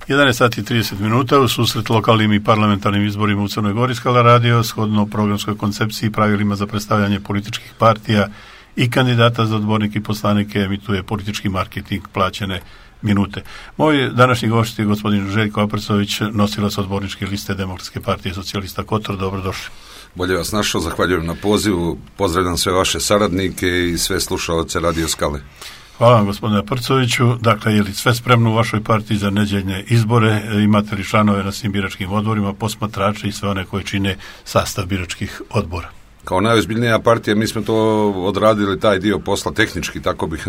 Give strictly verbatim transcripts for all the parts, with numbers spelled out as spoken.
jedanaest sati i trideset minuta u susret lokalnim i parlamentarnim izborima u Crnoj Gori Skala radio shodno programskoj koncepciji i pravilima za predstavljanje političkih partija i kandidata za odbornike i poslanike emituje politički marketing plaćene minute. Moj današnji gost je gospodin Željko Aprcović, nosilac odborničke liste Demokratske partije socijalista Kotor. Dobrodošli. Bolje vas našao, zahvaljujem na pozivu, pozdravljam sve vaše saradnike i sve slušalce Radio Skale. Hvala vam gospodine Aprcoviću. Dakle, je li sve spremno u vašoj partiji za nedeljne izbore? Imate li članove na svim biračkim odborima, posmatrače i sve one koji čine sastav biračkih odbora? Kao najozbiljnija partija mi smo to odradili, taj dio posla tehnički, tako bih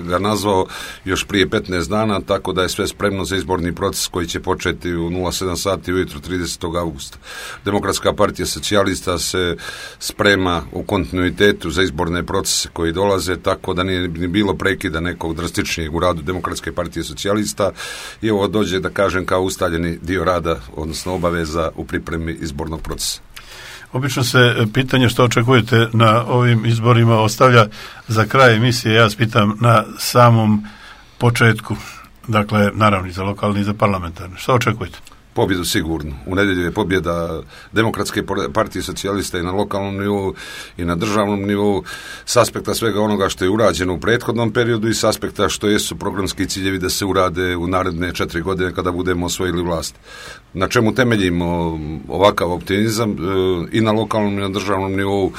ga nazvao, još prije petnaest dana, tako da je sve spremno za izborni proces koji će početi u nula sedam sati ujutro tridesetog augusta. Demokratska partija socijalista se sprema u kontinuitetu za izborne procese koji dolaze, tako da nije ni bilo prekida nekog drastičnijeg u radu Demokratske partije socijalista i ovo dođe, da kažem, kao ustaljeni dio rada, odnosno obaveza u pripremi izbornog procesa. Obično se pitanje što očekujete na ovim izborima ostavlja za kraj emisije. Ja vas pitam na samom početku, dakle, naravno i za lokalni i za parlamentarne. Što očekujete? Pobjedu sigurno. U nedjelju je pobjeda Demokratske partije socijalista i na lokalnom nivou i na državnom nivou, s aspekta svega onoga što je urađeno u prethodnom periodu i s aspekta što jesu programski ciljevi da se urade u naredne četiri godine kada budemo osvojili vlast. Na čemu temeljimo ovakav optimizam i na lokalnom i na državnom nivou?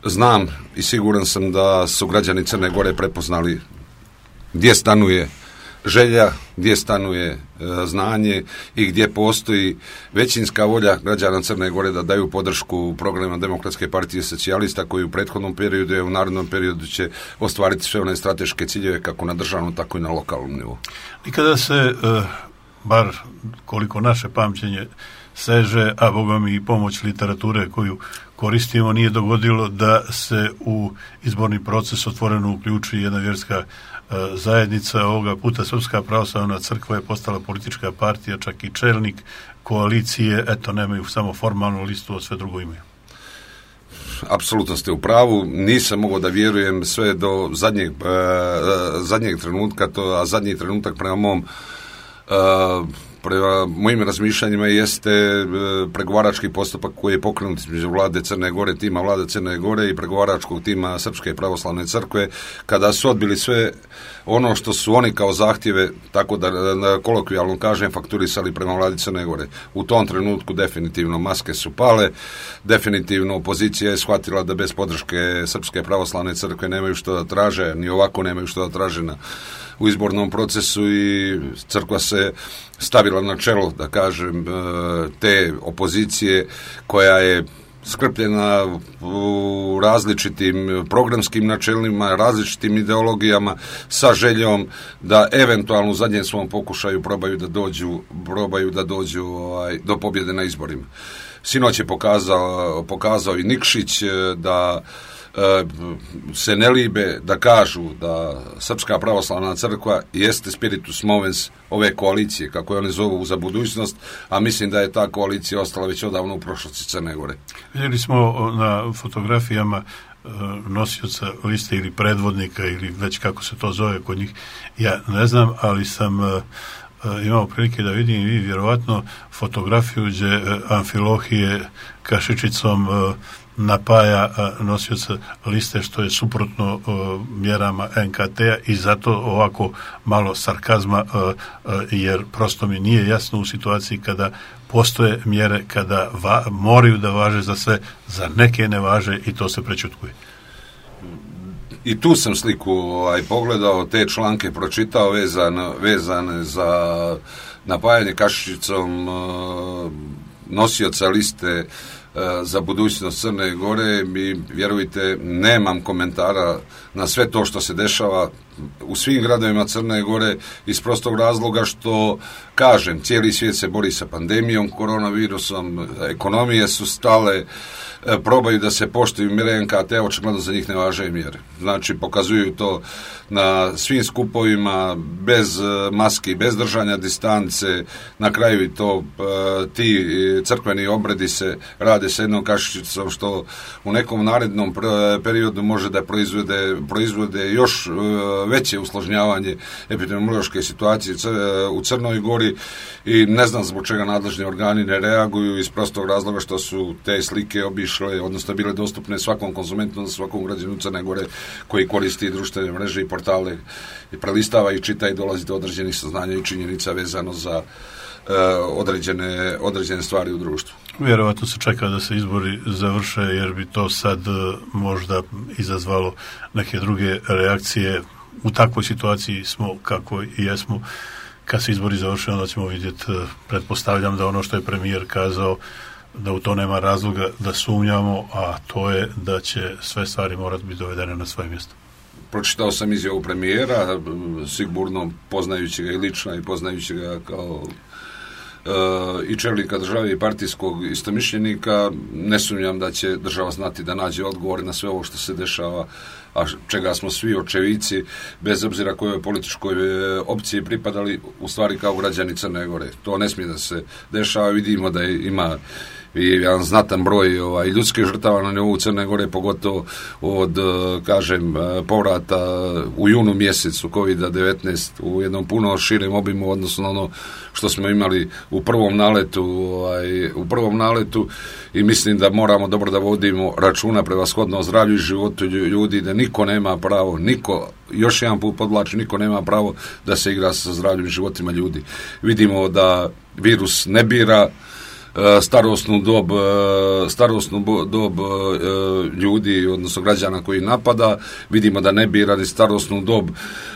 Znam i siguran sam da su građani Crne Gore prepoznali gdje stanuje želja, gdje stanuje e, znanje i gdje postoji većinska volja građana Crne Gore da daju podršku programima Demokratske partije socijalista koji u prethodnom periodu i u narednom periodu će ostvariti sve one strateške ciljeve kako na državnom tako i na lokalnom nivou. Nikada se, e, bar koliko naše pamćenje seže, a bogami i pomoć literature koju koristimo, nije dogodilo da se u izborni proces otvoreno uključi jedna vjerska zajednica. Ovoga puta Srpska pravoslavna crkva je postala politička partija, čak i čelnik koalicije, eto, nemaju samo formalnu listu, a sve drugo imaju. Apsolutno ste u pravu, nisam mogao da vjerujem sve do zadnjeg, uh, zadnjeg trenutka, to, a zadnji trenutak prema mom uh, prema mojim razmišljanjima jeste e, pregovarački postupak koji je pokrenut između vlade Crne Gore, tima vlade Crne Gore i pregovaračkog tima Srpske pravoslavne crkve, kada su odbili sve ono što su oni kao zahtjeve, tako da na kolokvijalno kažem, fakturisali prema vladi Crne Gore. U tom trenutku definitivno maske su pale, definitivno opozicija je shvatila da bez podrške Srpske pravoslavne crkve nemaju što da traže, ni ovako nemaju što da traže na u izbornom procesu i crkva se stavila na čelo, da kažem, te opozicije koja je skrpljena u različitim programskim načelima, različitim ideologijama sa željom da eventualno u zadnjem svom pokušaju probaju da dođu, probaju da dođu ovaj, do pobjede na izborima. Sinoć je pokazao, pokazao i Nikšić da se ne libe da kažu da Srpska pravoslavna crkva jeste spiritus movens ove koalicije, kako je one zovu, za budućnost, a mislim da je ta koalicija ostala već odavno u prošlosti Crne Gore. Vidjeli smo na fotografijama nosioca liste ili predvodnika ili već kako se to zove kod njih, ja ne znam, ali sam imao prilike da vidim i vi vjerovatno fotografiju gdje Amfilohije kašičicom napaja nosioca liste, što je suprotno uh, mjerama en ka te-a i zato ovako malo sarkazma, uh, uh, jer prosto mi nije jasno u situaciji kada postoje mjere, kada va, moraju da važe za sve, za neke ne važe i to se prečutkuje. I tu sam sliku ovaj, pogledao, te članke pročitao vezane, vezane za napajanje kašičicom uh, nosioca liste za budućnost Crne Gore i vjerujte, nemam komentara na sve to što se dešava u svim gradovima Crne Gore iz prostog razloga što, kažem, cijeli svijet se bori sa pandemijom, koronavirusom, ekonomije su stale, probaju da se poštuju mjere en ka te-a, očigledno za njih ne važe mjere. Znači, pokazuju to na svim skupovima, bez maski, bez držanja distance, na kraju i to ti crkveni obredi se rade sa jednom kašičicom, što u nekom narednom periodu može da proizvode, proizvode još veće usložnjavanje epidemiološke situacije u Crnoj Gori i ne znam zbog čega nadležni organi ne reaguju iz prostog razloga što su te slike obišle, odnosno bile dostupne svakom konzumentu, svakom građanu Crne Gore koji koristi društvene mreže i portale i prelistava i čita i dolazi do određenih saznanja i činjenica vezano za Uh, određene, određene stvari u društvu. Vjerovatno se čeka da se izbori završe, jer bi to sad uh, možda izazvalo neke druge reakcije. U takvoj situaciji smo kako i jesmo. Kad se izbori završe, onda ćemo vidjeti, uh, pretpostavljam da ono što je premijer kazao, da u to nema razloga da sumnjamo, a to je da će sve stvari morati biti dovedene na svoje mjesto. Pročitao sam izjavu premijera, sigurno poznajući ga i lično i poznajući ga kao Uh, i čelnika države i partijskog istomišljenika, ne sumnjam da će država znati da nađe odgovore na sve ovo što se dešava, a čega smo svi očevici, bez obzira kojoj političkoj opciji pripadali, u stvari kao građani Crne Gore. To ne smije da se dešava, vidimo da ima i jedan znatan broj ovaj, ljudskih žrtava na nivou Crne Gore, pogotovo od, kažem, povrata u junu mjesecu kovid devetnaest u jednom puno širem obimu odnosno na ono što smo imali u prvom naletu, ovaj, u prvom naletu i mislim da moramo dobro da vodimo računa prevashodno o zdravlju i životu ljudi, da niko nema pravo, niko, još jedan put podvlačim, niko nema pravo da se igra sa zdravljem i životima ljudi. Vidimo da virus ne bira starosnu dob, starosnu dob ljudi, odnosno građana koji napada, vidimo da ne bira ni starosnu dob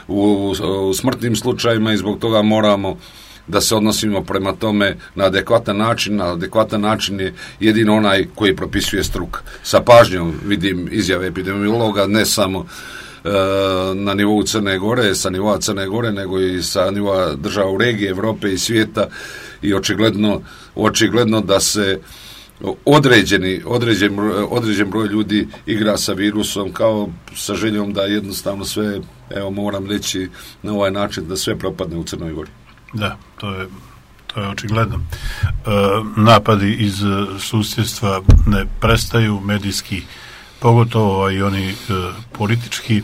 u, u smrtnim slučajima i zbog toga moramo da se odnosimo prema tome na adekvatan način. Na adekvatan način je jedino onaj koji propisuje struka. Sa pažnjom vidim izjave epidemiologa, ne samo na nivou Crne Gore, sa nivoa Crne Gore, nego i sa nivoa država u regiji, Evrope i svijeta i očigledno, očigledno da se određeni, određen, određen broj ljudi igra sa virusom kao sa željom da jednostavno sve, evo moram reći na ovaj način, da sve propadne u Crnoj Gori. Da, to je, to je očigledno. E, napadi iz susjedstva ne prestaju, medijski pogotovo, a i oni e, politički. E,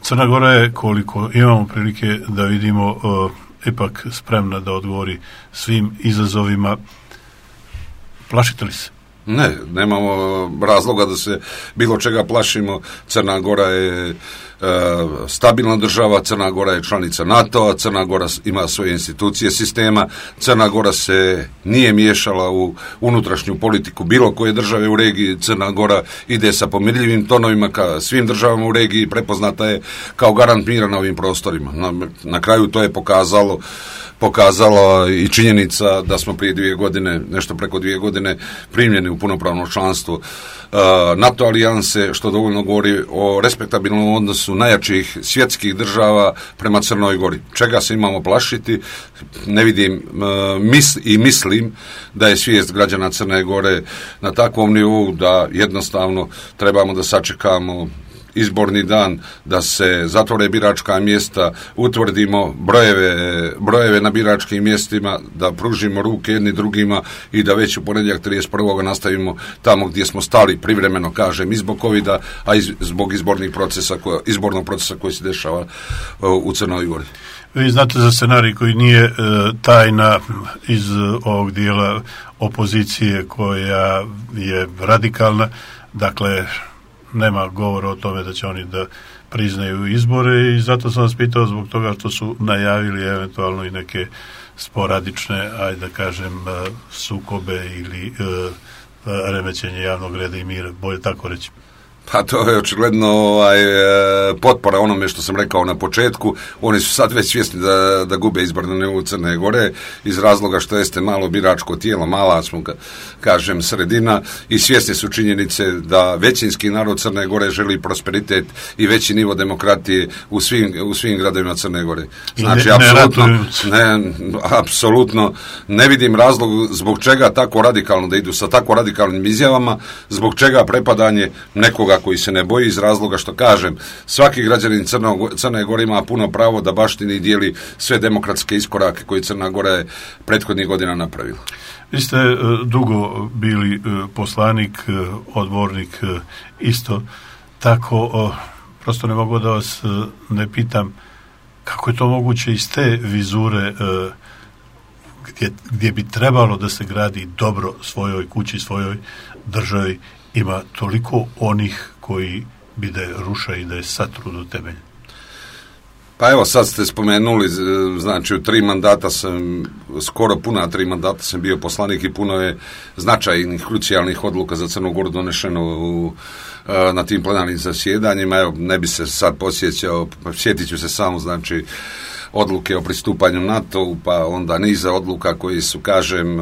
Crna Gora je, koliko imamo prilike da vidimo, e, ipak spremna da odgovori svim izazovima. Plašite li se? Ne, nemamo razloga da se bilo čega plašimo. Crna Gora je e, stabilna država, Crna Gora je članica NATO-a, Crna Gora ima svoje institucije sistema, Crna Gora se nije miješala u unutrašnju politiku bilo koje države u regiji. Crna Gora ide sa pomirljivim tonovima ka svim državama u regiji, prepoznata je kao garant mira na ovim prostorima. Na, na kraju to je pokazalo pokazala i činjenica da smo prije dvije godine, nešto preko dvije godine, primljeni u punopravno članstvo uh, NATO alijanse, što dovoljno govori o respektabilnom odnosu najjačih svjetskih država prema Crnoj Gori. Čega se imamo plašiti? Ne vidim uh, mis, i mislim da je svijest građana Crne Gore na takvom nivou da jednostavno trebamo da sačekamo izborni dan, da se zatvore biračka mjesta, utvrdimo brojeve, brojeve na biračkim mjestima, da pružimo ruke jedni drugima i da već u ponedjeljak trideset prvog nastavimo tamo gdje smo stali, privremeno kažem, i zbog covida, a i zbog izbornih procesa, izbornog procesa koji se dešava u Crnoj Gori. Vi znate za scenarij koji nije e, tajna iz ovog dijela opozicije koja je radikalna, dakle nema govora o tome da će oni da priznaju izbore i zato sam vas pitao zbog toga što su najavili eventualno i neke sporadične, ajde da kažem, sukobe ili uh, remećenje javnog reda i mira, bolje tako reći. Pa to je očigledno ovaj, potpora onome što sam rekao na početku. Oni su sad već svjesni da, da gube izbor na nivou Crne Gore iz razloga što jeste malo biračko tijelo, mala smo, kažem, sredina i svjesni su činjenice da većinski narod Crne Gore želi prosperitet i veći nivo demokratije u svim, u svim gradovima Crne Gore. Znači, ne, apsolutno ne, ne, apsolutno ne vidim razlog zbog čega tako radikalno da idu sa tako radikalnim izjavama, zbog čega prepadanje nekoga koji se ne boji iz razloga što, kažem, svaki građanin Crne Gore ima puno pravo da baštini i dijeli sve demokratske iskorake koje Crna Gora je prethodnih godina napravila. Vi ste dugo bili poslanik, odbornik isto tako. prosto ne mogu da vas ne pitam kako je to moguće iz te vizure gdje, gdje bi trebalo da se gradi dobro svojoj kući, svojoj državi, ima toliko onih koji bi da je ruša i da je satru do temelja. Pa evo, sad ste spomenuli, znači u tri mandata sam, skoro puna tri mandata sam bio poslanik i puno je značajnih, krucijalnih odluka za Crnu Goru donešeno u, na tim plenarnim zasjedanjima. Evo, ne bi se sad posjećao, sjetit ću se samo, znači, odluke o pristupanju NATO-u, pa onda niza odluka koji su, kažem,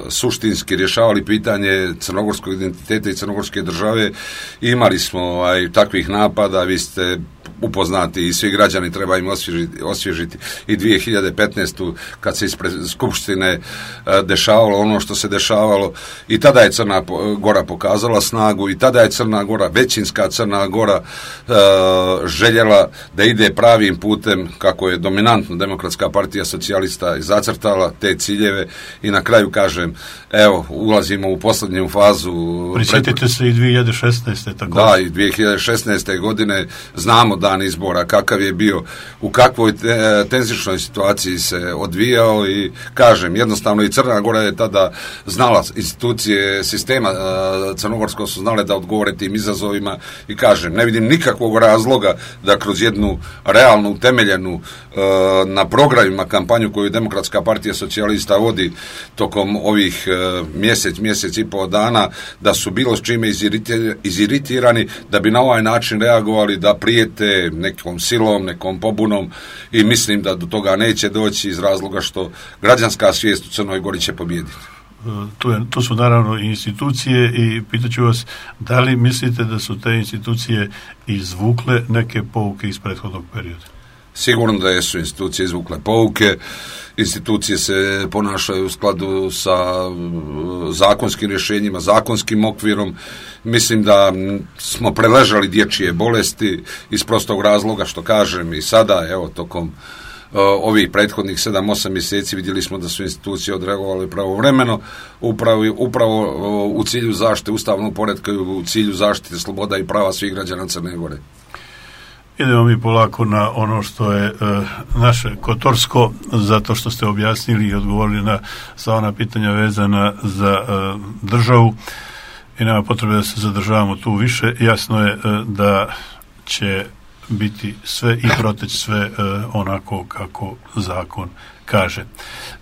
suštinski rješavali pitanje crnogorskog identiteta i crnogorske države. Imali smo aj, takvih napada, vi ste upoznati i svi građani treba im osvježiti, osvježiti i dvije hiljade petnaeste. kad se ispred Skupštine dešavalo ono što se dešavalo, i tada je Crna Gora pokazala snagu, i tada je Crna Gora, većinska Crna Gora, željela da ide pravim putem, kako je dominantno Demokratska partija socijalista i zacrtala te ciljeve, i na kraju, kažem, evo, ulazimo u posljednju fazu. Prisjetite pred... se i dvije hiljade šesnaeste. Također. Da, i dvije hiljade šesnaeste. godine znamo dan izbora, kakav je bio, u kakvoj te, tenzičnoj situaciji se odvijao, i kažem, jednostavno i Crna Gora je tada znala, institucije sistema crnogorskog su znale da odgovore tim izazovima, i kažem, ne vidim nikakvog razloga da kroz jednu realnu, utemeljenu na programima kampanju koju Demokratska partija socijalista vodi tokom ovih mjesec, mjesec i pol dana, da su bilo s čime iziritirani, da bi na ovaj način reagovali, da prijete nekom silom, nekom pobunom, i mislim da do toga neće doći iz razloga što građanska svijest u Crnoj Gori će pobijediti. Tu, je, tu su naravno i institucije, i pitaću vas, da li mislite da su te institucije izvukle neke pouke iz prethodnog perioda? Sigurno da su institucije izvukle pouke, institucije se ponašaju u skladu sa zakonskim rješenjima, zakonskim okvirom. Mislim da smo preležali dječje bolesti iz prostog razloga što, kažem, i sada, evo, tokom ovih prethodnih sedam osam mjeseci vidjeli smo da su institucije odreagovale pravovremeno, upravo, upravo u cilju zaštite ustavnog poretka i u cilju zaštite sloboda i prava svih građana Crne Gore. Idemo mi polako na ono što je e, naše Kotorsko, zato što ste objasnili i odgovorili na sva ona pitanja vezana za e, državu, i nema potrebe da se zadržavamo tu više. Jasno je e, da će biti sve i proteći sve e, onako kako zakon kaže.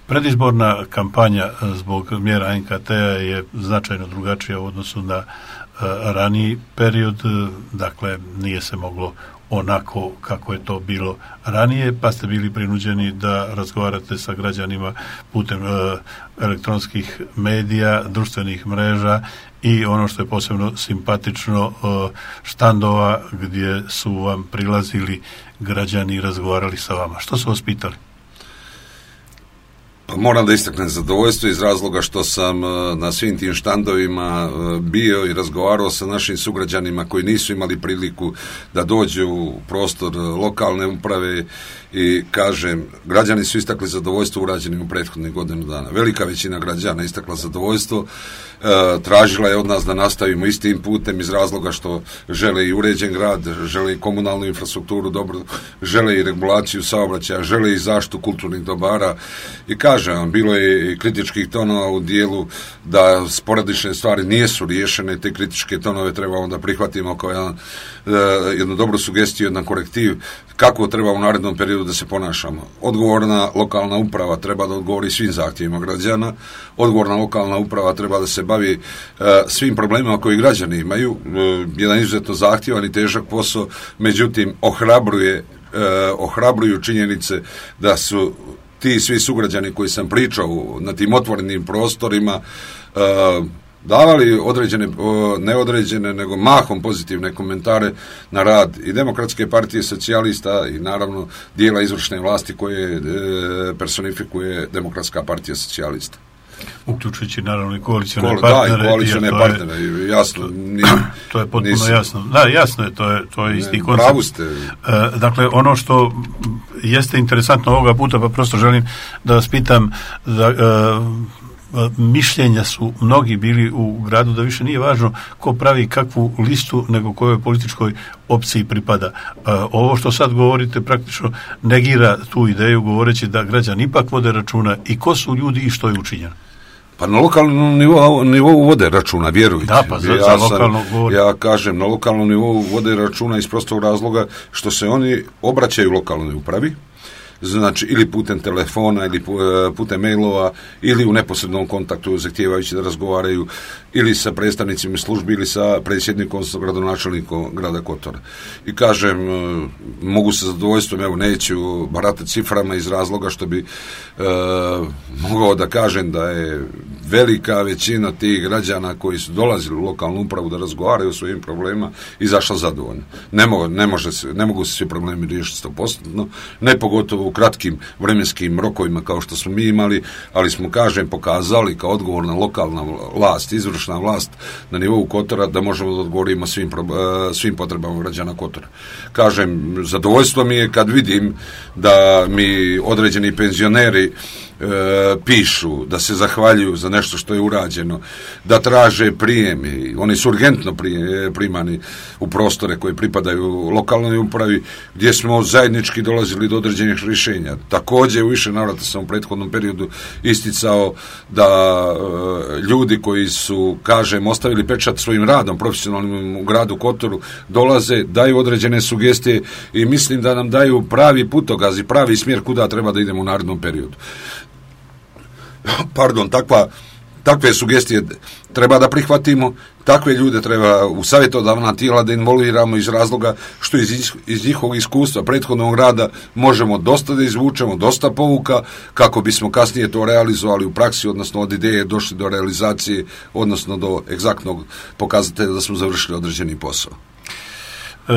Predizborna kampanja zbog mjera N K T-a je značajno drugačija u odnosu na e, raniji period, dakle nije se moglo onako kako je to bilo ranije, pa ste bili prinuđeni da razgovarate sa građanima putem e, elektronskih medija, društvenih mreža, i ono što je posebno simpatično, e, štandova gdje su vam prilazili građani i razgovarali sa vama. Što su vas pitali? Pa moram da istaknem zadovoljstvo iz razloga što sam na svim tim štandovima bio i razgovarao sa našim sugrađanima koji nisu imali priliku da dođu u prostor lokalne uprave, i, kažem, građani su istakli zadovoljstvo urađenim u prethodnih godinu dana. Velika većina građana istakla zadovoljstvo, e, tražila je od nas da nastavimo istim putem iz razloga što žele i uređen grad, žele i komunalnu infrastrukturu dobro, žele i regulaciju saobraćaja, žele i zaštitu kulturnih dobara, i kažem vam, bilo je i kritičkih tonova u dijelu da sporadične stvari nijesu riješene, te kritičke tonove treba onda prihvatimo kao jedan, e, jednu dobru sugestiju, jedan korektiv kako treba u narednom periodu da se ponašamo. Odgovorna lokalna uprava treba da odgovori svim zahtjevima građana, odgovorna lokalna uprava treba da se bavi e, svim problemima koji građani imaju, e, jedan izuzetno zahtjevan i težak posao, međutim ohrabruje, e, ohrabruju činjenice da su ti svi sugrađani koji sam pričao na tim otvorenim prostorima e, davali određene, neodređene, nego mahom pozitivne komentare na rad i Demokratske partije socijalista i naravno dijela izvršne vlasti koje e, personifikuje Demokratska partija socijalista. Uključujući naravno i koalicione Kol, partnere. Da, i koalicione partnere, je, jasno. Nije, to je potpuno nisam, jasno. Da, jasno je, to je, to je isti ne, koncept. Pravu ste. E, dakle, ono što jeste interesantno ovoga puta, pa prosto želim da vas pitam, da, e, mišljenja su mnogi bili u gradu da više nije važno ko pravi kakvu listu nego kojoj političkoj opciji pripada. Ovo što sad govorite praktično negira tu ideju govoreći da građani ipak vode računa i ko su ljudi i što je učinjeno. Pa na lokalnom nivou, nivou vode računa, vjerujte. Da, pa za, ja, za lokalno govorim. Ja kažem, na lokalnom nivou vode računa iz prostog razloga što se oni obraćaju lokalnoj upravi, znači ili putem telefona ili putem mailova ili u neposrednom kontaktu zahtijevajući da razgovaraju ili sa predstavnicima službi ili sa predsjednikom, sa gradonačelnikom grada Kotora. I kažem, mogu sa zadovoljstvom, evo neću baratati ciframa iz razloga što bi e, mogao da kažem da je velika većina tih građana koji su dolazili u lokalnu upravu da razgovaraju o svojim problemima izašla zadovoljna. Ne, mo, ne, može se, ne mogu se svi problemi riješiti sto posto, ne pogotovo u kratkim vremenskim rokovima kao što smo mi imali, ali smo, kažem, pokazali kao odgovorna lokalna vlast, izvršna vlast na nivou Kotora da možemo da odgovorimo svim, svim potrebama građana Kotora. Kažem, zadovoljstvo mi je kad vidim da mi određeni penzioneri E, pišu, da se zahvaljuju za nešto što je urađeno, da traže prijem i oni su urgentno prije, primani u prostore koje pripadaju lokalnoj upravi gdje smo zajednički dolazili do određenih rješenja. Također u više navrata sam u prethodnom periodu isticao da e, ljudi koji su, kažem, ostavili pečat svojim radom profesionalnim u gradu Kotoru dolaze, daju određene sugestije i mislim da nam daju pravi putokaz i pravi smjer kuda treba da idemo u narednom periodu. Pardon, takva, takve sugestije treba da prihvatimo, takve ljude treba u savjetodavna tijela da involviramo iz razloga što iz, iz njihovog iskustva prethodnog rada možemo dosta da izvučemo, dosta pouka kako bismo kasnije to realizovali u praksi, odnosno od ideje došli do realizacije, odnosno do egzaktnog pokazatelja da smo završili određeni posao.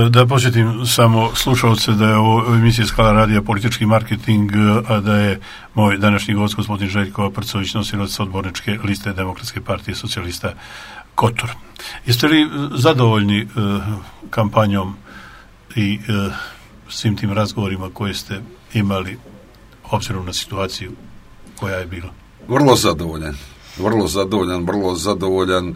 Da posjetim samo slušalce da je ovo emisija Skala radija politički marketing, a da je moj današnji gost gospodin Željko Aprcović, nosilac odborničke liste Demokratske partije socijalista Kotor. Jeste li zadovoljni uh, kampanjom i uh, svim tim razgovorima koje ste imali obzirom na situaciju koja je bila? Vrlo zadovoljan, vrlo zadovoljan, vrlo zadovoljan.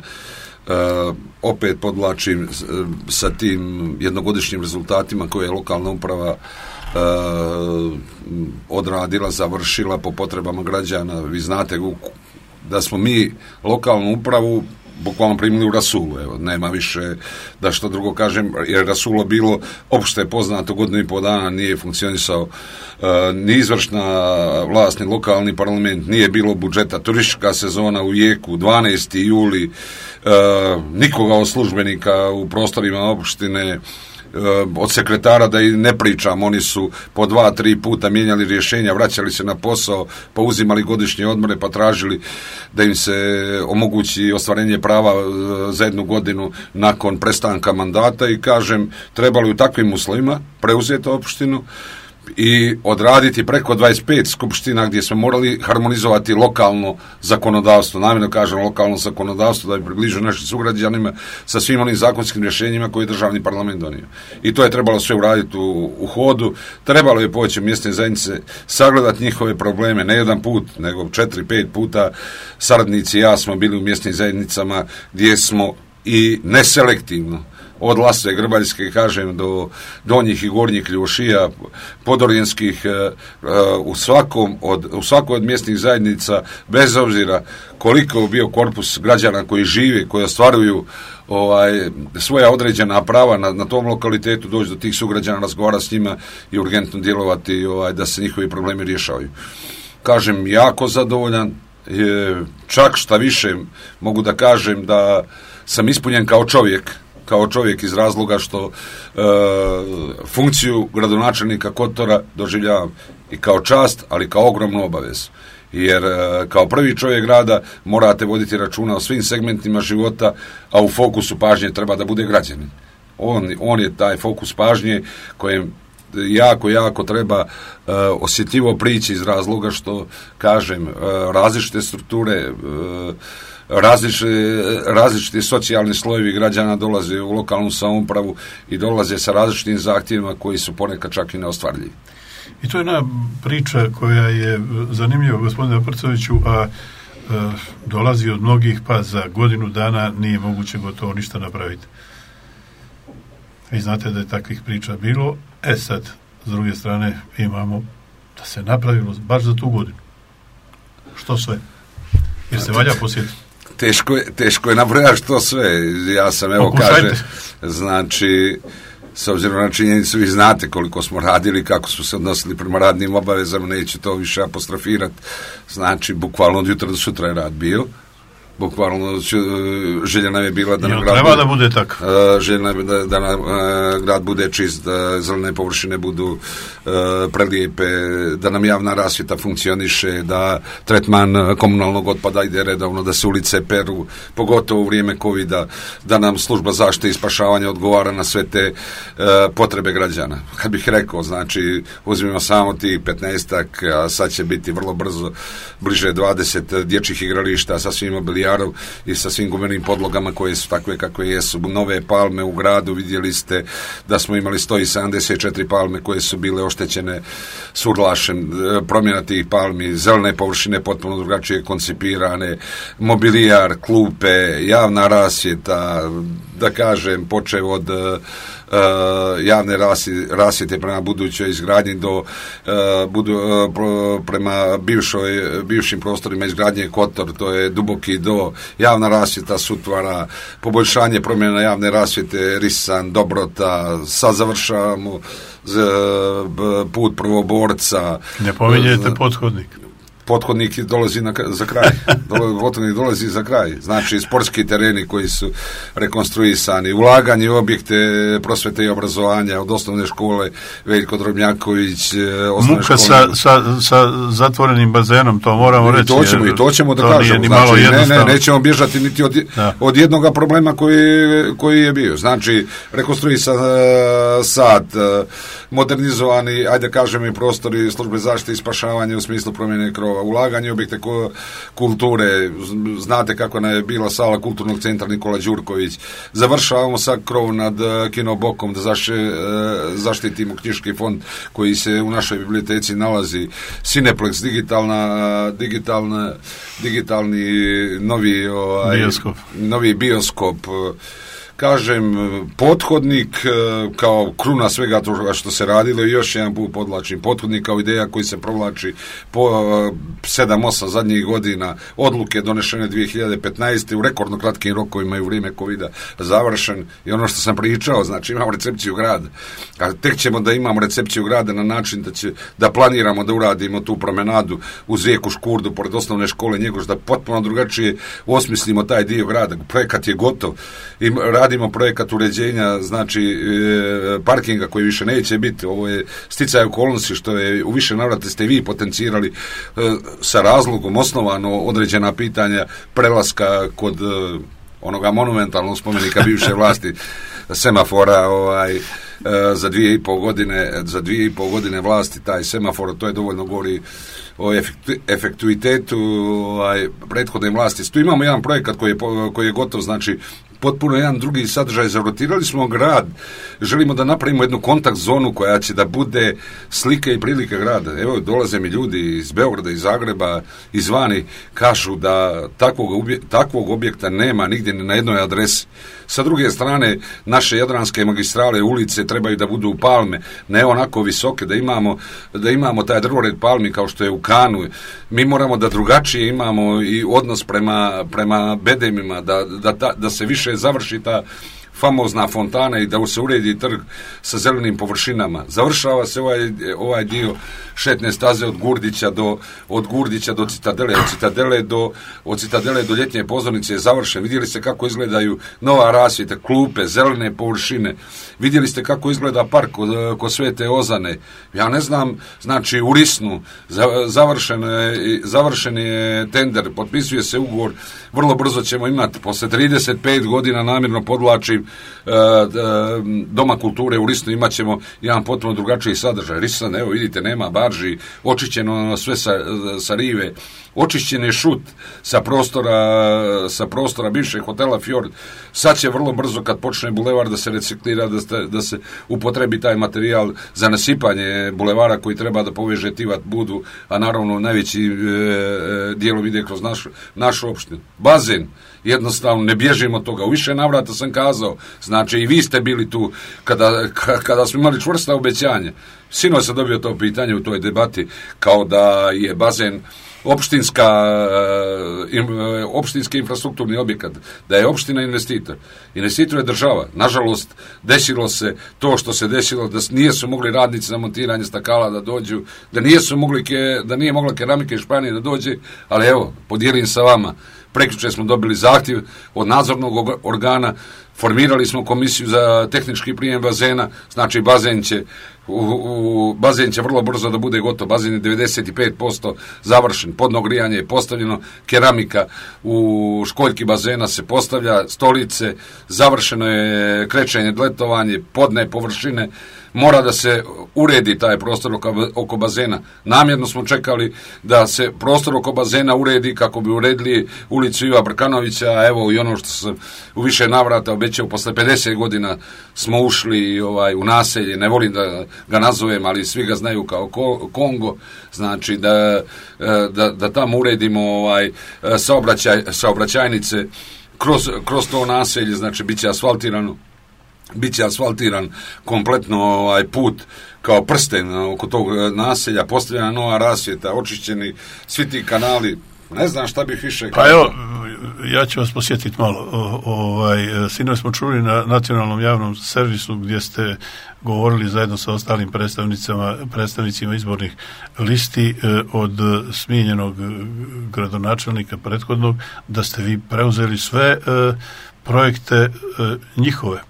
Uh, opet podvlačim uh, sa tim jednogodišnjim rezultatima koje je lokalna uprava uh, odradila, završila po potrebama građana. Vi znate da smo mi lokalnu upravu bukvalno primili u rasulu, evo, nema više da što drugo kažem, jer rasulo bilo opšte poznato godinu i pol dana, nije funkcionisao uh, ni izvršna vlast, ni lokalni parlament, nije bilo budžeta, turistička sezona u jeku, dvanaesti juli, uh, nikoga od službenika u prostorima opštine, od sekretara da i ne pričam, oni su po dva, tri puta mijenjali rješenja, vraćali se na posao, pa uzimali godišnje odmore, pa tražili da im se omogući ostvarenje prava za jednu godinu nakon prestanka mandata i kažem, trebali u takvim uslovima preuzeti opštinu i odraditi preko dvadeset pet skupština gdje smo morali harmonizovati lokalno zakonodavstvo, namjerno kažem lokalno zakonodavstvo da bi približio našim sugrađanima sa svim onim zakonskim rješenjima koje je državni parlament donio. I to je trebalo sve uraditi u, u hodu, trebalo je poći u mjesne zajednice, sagledati njihove probleme, ne jedan put, nego četiri, pet puta saradnici i ja smo bili u mjesnim zajednicama gdje smo i neselektivno od Lasve Grbaljske, kažem, do donjih i gornjih Ljušija, podorijenskih, u svakom od, u svakoj od mjesnih zajednica, bez obzira koliko je bio korpus građana koji žive, koji ostvaruju ovaj, svoja određena prava na, na tom lokalitetu, doći do tih sugrađana, razgovarati s njima i urgentno djelovati ovaj, da se njihovi problemi rješavaju. Kažem, jako zadovoljan, čak šta više mogu da kažem da sam ispunjen kao čovjek, kao čovjek iz razloga što e, funkciju gradonačelnika Kotora doživljavam i kao čast, ali kao ogromnu obavezu. Jer e, kao prvi čovjek grada morate voditi računa o svim segmentima života, a u fokusu pažnje treba da bude građanin. On, on je taj fokus pažnje kojem jako, jako treba e, osjetljivo prići iz razloga što, kažem, e, različite strukture, e, različite, različiti socijalni slojevi građana dolaze u lokalnu samoupravu i dolaze sa različitim zahtjevima koji su ponekad čak i neostvarljivi. I to je jedna priča koja je zanimljiva, gospodine Aprcoviću, a dolazi od mnogih, pa za godinu dana nije moguće gotovo ništa napraviti. Vi znate da je takvih priča bilo. E sad, s druge strane, imamo da se napravilo baš za tu godinu. Što sve? Jer se valja posjetiti. Teško je, teško je nabrojati što sve. Ja sam, evo, kaže, znači, s obzirom na činjenicu, vi znate koliko smo radili, kako smo se odnosili prema radnim obavezama, neću to više apostrofirati. Znači, bukvalno od jutra do sutra je rad bio. Bukvalno želja nam je bila da nam grad treba bude, da bude tako. Želja nam je da, da nam grad bude čist, da zelene površine budu uh, prelijepe, da nam javna rasvjeta funkcioniše, da tretman komunalnog otpada ide redovno, da se ulice peru, pogotovo u vrijeme covida, da nam služba zaštite i spašavanja odgovara na sve te uh, potrebe građana. Kad bih rekao, znači, uzmimo samo tih petnaestak, a sad će biti vrlo brzo bliže dvadeset dječjih igrališta sa svim mobilijarov i sa svim gumenim podlogama koje su takve kakve jesu. Nove palme u gradu, vidjeli ste da smo imali sto sedamdeset četiri palme koje su bile oštećene surlašem, promjena tih palmi, zelene površine potpuno drugačije koncipirane, mobilijar, klupe, javna rasvjeta, da kažem, počev od Uh, javne rasvjete prema budućoj izgradnji do uh, budu, uh, pro, prema bivšoj, bivšim prostorima izgradnje Kotor, to je Duboki do, javna rasvjeta Sutvara, poboljšanje promjena javne rasvjete Risan, Dobrota, sad završavamo z, b, put Prvoborca. Ne pominjete uh, pothodnik. Pothodnik dolazi na, za kraj. Pothodnik dolazi za kraj. Znači, sportski tereni koji su rekonstruisani, ulaganje u objekte prosvete i obrazovanja od osnovne škole Veljko Drobnjaković, osnovne Muka škole. Sa, sa, sa zatvorenim bazenom, to moramo reći. I to ćemo, i to ćemo da kažemo. Znači, ne, ne, nećemo bježati niti od, od jednoga problema koji, koji je bio. Znači, rekonstruisan uh, sad, uh, modernizovani, ajde kažemo, i prostori službe zaštite i spašavanja u smislu promjene krova, ulaganje u objekte kulture, znate kako nam je bila sala kulturnog centra Nikola Đurković, završavamo sad krov nad Kinobokom da zaše, zaštitimo knjiški fond koji se u našoj biblioteci nalazi, Cineplex, digitalna, digitalna, digitalni novi, ovaj, bioskop. novi bioskop, kažem, pothodnik kao kruna svega toga što se radilo, i još jedan put podlačim, pothodnik kao ideja koji se provlači po sedam osam zadnjih godina, odluke donešene dvije hiljade petnaeste u rekordno kratkim rokovima i u vrijeme covida završen, i ono što sam pričao, znači imamo recepciju grada, a tek ćemo da imamo recepciju grada na način da će, da planiramo da uradimo tu promenadu uz rijeku Škurdu pored osnovne škole Njegoš, da potpuno drugačije osmislimo taj dio grada. Projekat je gotov i radimo projekat uređenja, znači e, parkinga koji više neće biti. Ovo je sticaj okolnosti što je u više navrata ste vi potencirali e, sa razlogom osnovano određena pitanja prelaska kod e, onoga monumentalnog spomenika bivše vlasti semafora, ovaj, e, za dvije i pol godine za dvije i pol godine vlasti taj semafor, to je dovoljno govori o efektu, efektuitetu ovaj, prethodne vlasti. Tu imamo jedan projekat koji je, koji je gotov, znači potpuno jedan drugi sadržaj. Zarotirali smo grad, želimo da napravimo jednu kontakt zonu koja će da bude slike i prilike grada. Evo, dolaze mi ljudi iz Beograda, iz Zagreba, izvani, kažu da takvog, obje, takvog objekta nema nigdje na jednoj adresi. Sa druge strane, naše jadranske magistrale, ulice trebaju da budu palme, ne onako visoke, da imamo, da imamo taj drvored palmi kao što je u Kanu. Mi moramo da drugačije imamo i odnos prema, prema bedemima, da, da, da, da se više završi ta famozna fontana i da se uredi trg sa zelenim površinama. Završava se ovaj, ovaj dio šetne staze od Gurdića do, od Gurdića do Citadele, od Citadele do, od Citadele do ljetnje pozornice je završen. Vidjeli ste kako izgledaju nova rasvjeta, klupe, zelene površine. Vidjeli ste kako izgleda park kod, kod Svete Ozane. Ja ne znam, znači u Risnu završen, završen je tender, potpisuje se ugovor, vrlo brzo ćemo imati, posle trideset pet godina, namjerno podlačim, Doma kulture u Risnu imat ćemo jedan potpuno drugačiji sadržaj. Risan, evo vidite, nema barži, očišćeno sve sa, sa rive, očišćen je šut sa prostora, sa prostora bivšeg hotela Fjord. Sad će vrlo brzo, kad počne bulevar, da se reciklira, da, sta, da se upotrebi taj materijal za nasipanje bulevara koji treba da poveže Tivat Budu, a naravno najveći e, dijelom ide kroz našu, našu opštinu. Bazen, jednostavno ne bježimo od toga. U više navrata sam kazao, znači i vi ste bili tu kada, kada smo imali čvrsta obećanja. Sinoć sam dobio to pitanje u toj debati, kao da je bazen opštinska opštinski infrastrukturni objekat, da je opština investitor. Investitor je država. Nažalost, desilo se to što se desilo, da nisu mogli radnici za montiranje stakala da dođu, da nisu mogli ke, da nije mogla keramika iz Španije da dođe, ali evo, podijelim sa vama. Prekjuče smo dobili zahtjev od nadzornog organa, formirali smo komisiju za tehnički prijem bazena, znači bazen će U, u, bazen će vrlo brzo da bude gotov. Bazen je devedeset pet posto završen, podno grijanje je postavljeno, keramika u školjki bazena se postavlja, stolice, završeno je krečenje, letovanje, podne površine, mora da se uredi taj prostor oko, oko bazena. Namjerno smo čekali da se prostor oko bazena uredi kako bi uredili ulicu Iva Brkanovića, evo i ono što sam u više navrata obećao, posle pedeset godina smo ušli ovaj, u naselje, ne volim da ga nazovem, ali svi ga znaju kao Kongo, znači da, da, da tamo uredimo ovaj, saobraćaj, saobraćajnice kroz, kroz to naselje, znači bit će asfaltirano, bit će asfaltiran kompletno ovaj put kao prsten oko tog naselja, postavljena nova rasvjeta, očišćeni svi ti kanali. Ne znam šta bih više... Pa evo, ja ću vas posjetiti malo. O, ovaj, sinoć smo čuli na nacionalnom javnom servisu gdje ste govorili zajedno sa ostalim predstavnicama, predstavnicima izbornih listi od smijenjenog gradonačelnika prethodnog, da ste vi preuzeli sve projekte njihove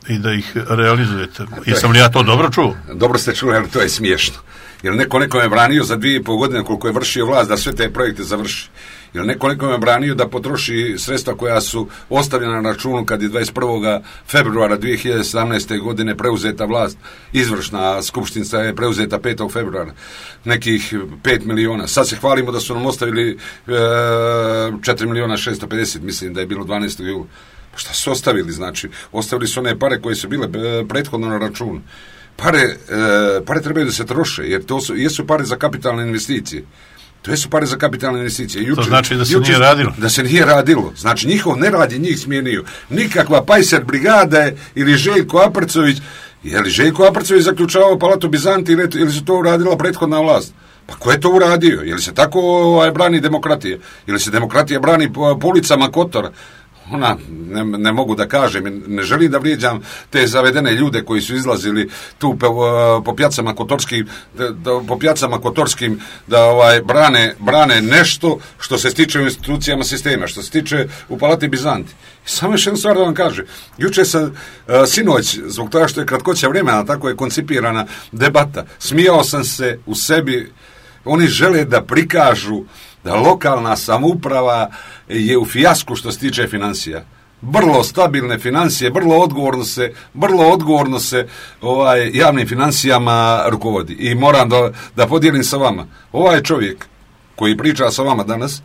i da ih realizujete. Jesam li ja to dobro čuo? Dobro ste čuli, ali to je smiješno. Jer neko nekome branio za dvije i pol godine koliko je vršio vlast da sve te projekte završi. Jer neko nekome branio da potroši sredstva koja su ostavljena na računu kad je dvadeset prvog februara dvije hiljade sedamnaeste. godine preuzeta vlast. Izvršna skupština je preuzeta petog februara. Nekih pet miliona. Sad se hvalimo da su nam ostavili e, četiri miliona šesto pedeset, mislim da je bilo dvanaestog jula. Pa šta su ostavili, znači? Ostavili su one pare koje su bile e, prethodno na računu. Pare, e, pare trebaju da se troše, jer to su, jesu pare za kapitalne investicije. To jesu pare za kapitalne investicije. Juče, to znači da se juče, nije radilo? Da se nije radilo. Znači, njihov nerad je njih smijenio. Nikakva Pajser brigada je, ili Željko Aprcović, je li Željko Aprcović zaključavao Palatu Bizanti ili, ili su to uradila prethodna vlast? Pa ko je to uradio? Je li se tako ovaj, brani demokratija? Je li se demokratija brani po, po ulicama Kotora? Ona, ne, ne mogu da kažem, ne želim da vrijeđam te zavedene ljude koji su izlazili tu po, po pjacama kotorskim, da, da, po pjacama kotorskim da ovaj, brane, brane nešto što se stiče u institucijama sistema, što se stiče u Palati Bizanti. Samo još jednu stvar da vam kažem. Juče sam, uh, sinoć, zbog toga što je kratkoća vremena, tako je koncipirana debata, smijao sam se u sebi. Oni žele da prikažu da lokalna samouprava je u fijasku što se tiče financija. Vrlo stabilne financije, vrlo odgovorno se, vrlo odgovorno se ovaj, javnim financijama rukovodi. I moram da, da podijelim sa vama. Ovaj čovjek koji priča sa vama danas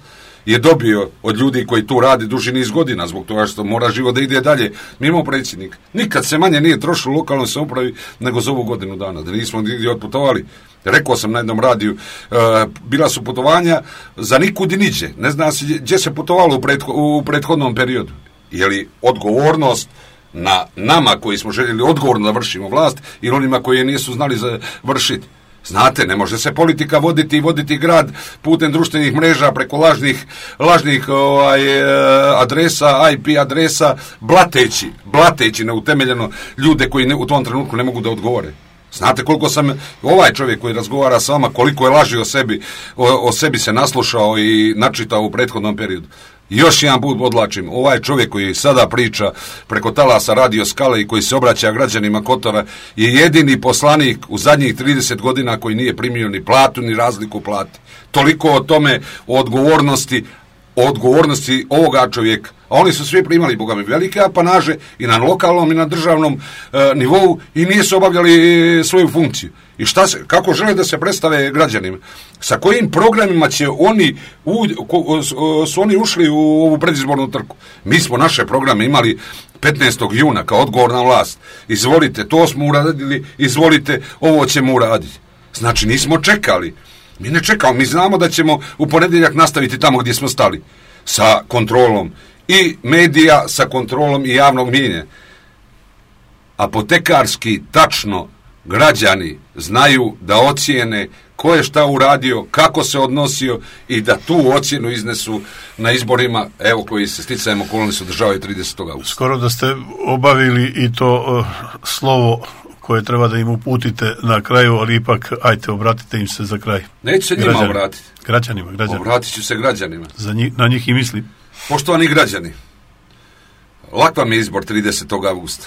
je dobio od ljudi koji tu radi duži niz godina, zbog toga što mora život da ide dalje, mimo predsjednika. Nikad se manje nije trošilo u lokalnoj samoupravi nego za ovu godinu dana, da nismo nigdje otputovali. Rekao sam na jednom radiju, e, bila su putovanja za nikud i niđe. Ne zna se gdje se putovalo u, pretho, u prethodnom periodu. Je li odgovornost na nama koji smo željeli odgovorno da vršimo vlast ili onima koji je nisu znali za vršiti? Znate, ne može se politika voditi i voditi grad putem društvenih mreža preko lažnih, lažnih ovaj, adresa, I P adresa, blateći, blateći neutemeljeno ljude koji ne, u tom trenutku ne mogu da odgovore. Znate koliko sam, ovaj čovjek koji razgovara sa vama, koliko je laži o sebi, o, o sebi se naslušao i načitao u prethodnom periodu. Još jedan put odlačim, ovaj čovjek koji sada priča preko talasa Radio Skale i koji se obraća građanima Kotora je jedini poslanik u zadnjih trideset godina koji nije primio ni platu ni razliku plati. Toliko o tome, o odgovornosti o odgovornosti ovoga čovjeka. A oni su svi primali, boga mi, velike apanaže i na lokalnom i na državnom e, nivou i nisu obavljali svoju funkciju. I šta se, kako žele da se predstave građanima? Sa kojim programima će oni u, ko, su oni ušli u ovu predizbornu trku? Mi smo naše programe imali petnaestog juna kao odgovorna vlast. Izvolite, to smo uradili, izvolite, ovo ćemo uraditi. Znači, nismo čekali. Mi ne čekamo, mi znamo da ćemo u ponedjeljak nastaviti tamo gdje smo stali. Sa kontrolom i medija, sa kontrolom i javnog mijenja. Apotekarski, tačno, građani znaju da ocijene ko je šta uradio, kako se odnosio i da tu ocjenu iznesu na izborima, evo, koji se sticajem okolnosti održavaju tridesetog augusta. Skoro da ste obavili i to uh, slovo koje treba da im uputite na kraju, ali ipak, ajte, obratite im se za kraj. Neću se njima Građani. obratiti. Građanima, građanima. Obratit ću se građanima. Za njih, na njih i mislim. Poštovani građani, lak vam je izbor tridesetog augusta.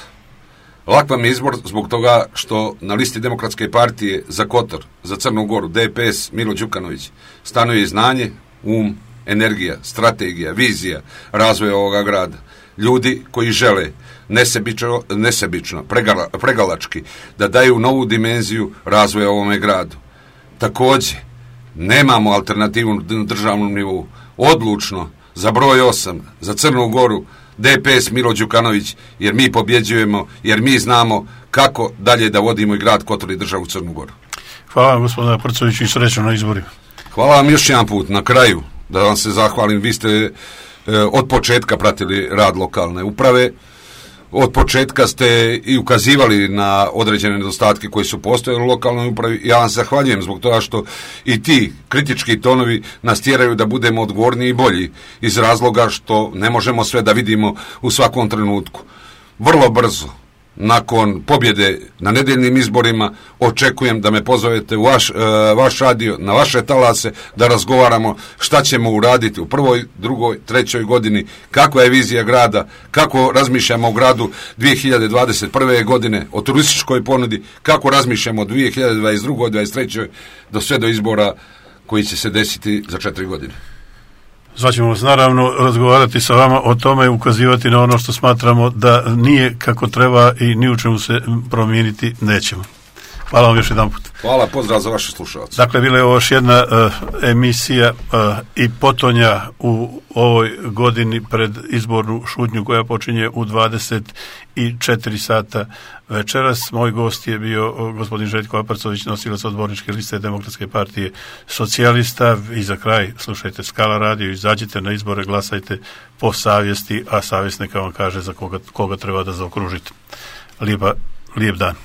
Lak vam je izbor zbog toga što na listi Demokratske partije za Kotor, za Crnu Goru, D P S, Milo Đukanović, stanuje znanje, um, energija, strategija, vizija razvoja ovoga grada. Ljudi koji žele nesebično, nesebično pregala, pregalački, da daju novu dimenziju razvoja ovome gradu. Također, nemamo alternativu na državnom nivou. Odlučno, za broj osam, za Crnu Goru, D P S Milo Đukanović, jer mi pobjeđujemo, jer mi znamo kako dalje da vodimo i grad Kotor i državu Crnu Goru. Hvala vam, gospodine Prcoviću, i srećno na izborima. Hvala vam još jedan put, na kraju, da vam se zahvalim. Vi ste e, od početka pratili rad lokalne uprave, od početka ste i ukazivali na određene nedostatke koji su postojali u lokalnoj upravi. Ja vam zahvaljujem zbog toga što i ti kritički tonovi nas tjeraju da budemo odgovorni i bolji, iz razloga što ne možemo sve da vidimo u svakom trenutku. Vrlo brzo, nakon pobjede na nedeljnim izborima, očekujem da me pozovete u vaš, e, vaš radio, na vaše talase, da razgovaramo šta ćemo uraditi u prvoj, drugoj, trećoj godini, kakva je vizija grada, kako razmišljamo o gradu dvije hiljade dvadeset prve. godine, o turističkoj ponudi, kako razmišljamo o dvije hiljade dvadeset druge. dvadeset treće. do sve do izbora koji će se desiti za četiri godine. Zvaćemo vas naravno razgovarati sa vama o tome i ukazivati na ono što smatramo da nije kako treba i ni u čemu se promijeniti nećemo. Hvala vam još jedan put. Hvala, pozdrav za vaše slušalce. Dakle, bila je ovo još jedna uh, emisija uh, i potonja u ovoj godini pred izbornu šutnju koja počinje u dvadeset četiri sata večeras. Moj gost je bio uh, gospodin Željko Aparcović, nosilac odborničke liste Demokratske partije socijalista. I za kraj slušajte Skala radio, izađite na izbore, glasajte po savjesti, a savjest neka vam kaže za koga, koga treba da zaokružite. Lijepa, lijep dan.